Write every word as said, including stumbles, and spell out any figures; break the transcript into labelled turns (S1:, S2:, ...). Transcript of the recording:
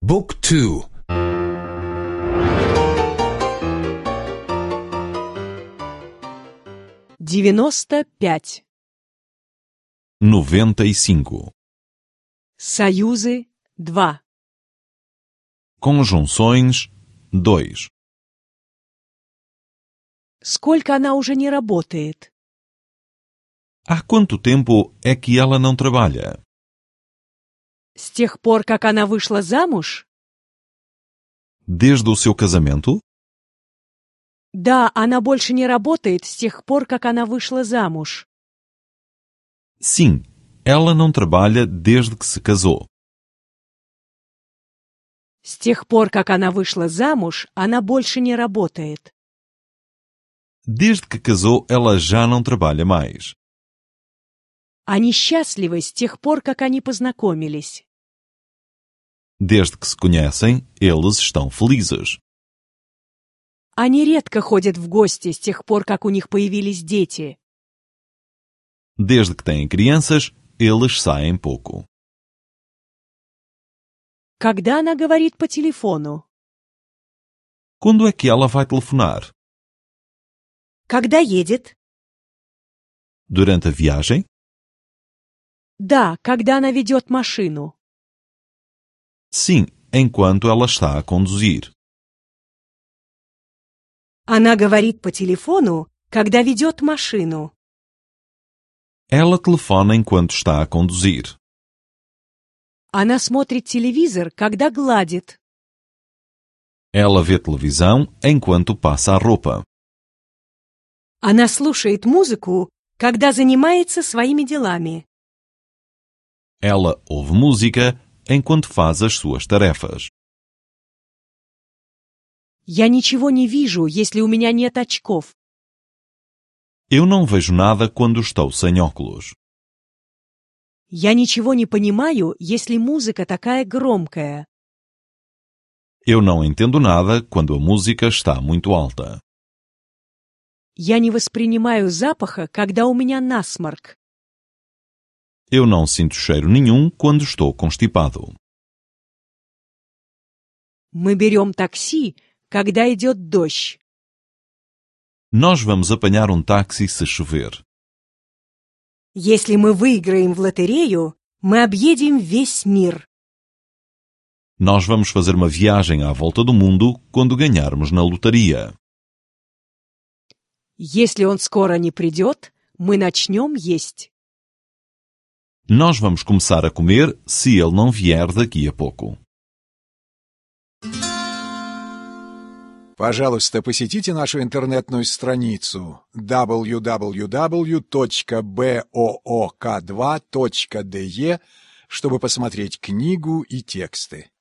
S1: Book two.
S2: Девяносто пять.
S3: Noventa e cinco.
S2: Союзы два.
S3: Conjunções dois.
S2: Сколько она уже не работает?
S3: Há quanto tempo é que ela não trabalha?
S2: С тех пор, как она вышла замуж?
S3: Desde o seu casamento?
S2: Да, она больше не работает с тех пор, как она вышла замуж.
S3: Sim, ela não trabalha desde que se casou.
S2: С тех пор, как она вышла замуж, она больше не работает.
S3: Desde que casou, ela já não trabalha mais.
S2: Они счастливы с тех пор, как они познакомились.
S3: Desde que se conhecem, eles estão felizes.
S2: Они редко ходят в гости с тех пор, как у них появились дети.
S3: Desde que têm crianças, eles saem pouco.
S2: Когда она говорит по телефону?
S3: Quando é que ela vai telefonar?
S2: Когда едет?
S3: Durante a viagem?
S2: Да, когда она ведет машину.
S3: Sim, enquanto ela está a conduzir.
S2: Она говорит по телефону, когда ведет машину.
S3: Ela telefona enquanto está a conduzir.
S2: Она смотрит телевизор, когда гладит.
S3: Ela vê televisão enquanto passa a roupa.
S2: Она слушает музыку, когда занимается своими делами.
S3: Ela ouve música enquanto faz as suas tarefas.
S2: Я ничего не вижу, если у меня нет очков.
S3: Eu não vejo nada quando estou sem óculos.
S2: Я ничего не понимаю, если музыка такая громкая.
S3: Eu não entendo nada quando a música está muito alta.
S2: Я не воспринимаю запаха, когда у меня насморк.
S3: Eu não sinto cheiro nenhum quando estou constipado.
S2: Мы берем такси, когда идет дождь.
S3: Nós vamos apanhar um táxi se chover.
S2: Если мы выиграем в лотерею, мы объедем весь мир.
S3: Nós vamos fazer uma viagem à volta do mundo quando ganharmos na lotaria.
S2: Если он скоро не придет, мы начнем есть.
S3: Nós vamos começar a comer se ele não vier daqui a pouco.
S4: Пожалуйста, посетите нашу интернетную страницу дабл ю дабл ю дабл ю точка б о о к два точка д е, чтобы посмотреть книгу и тексты.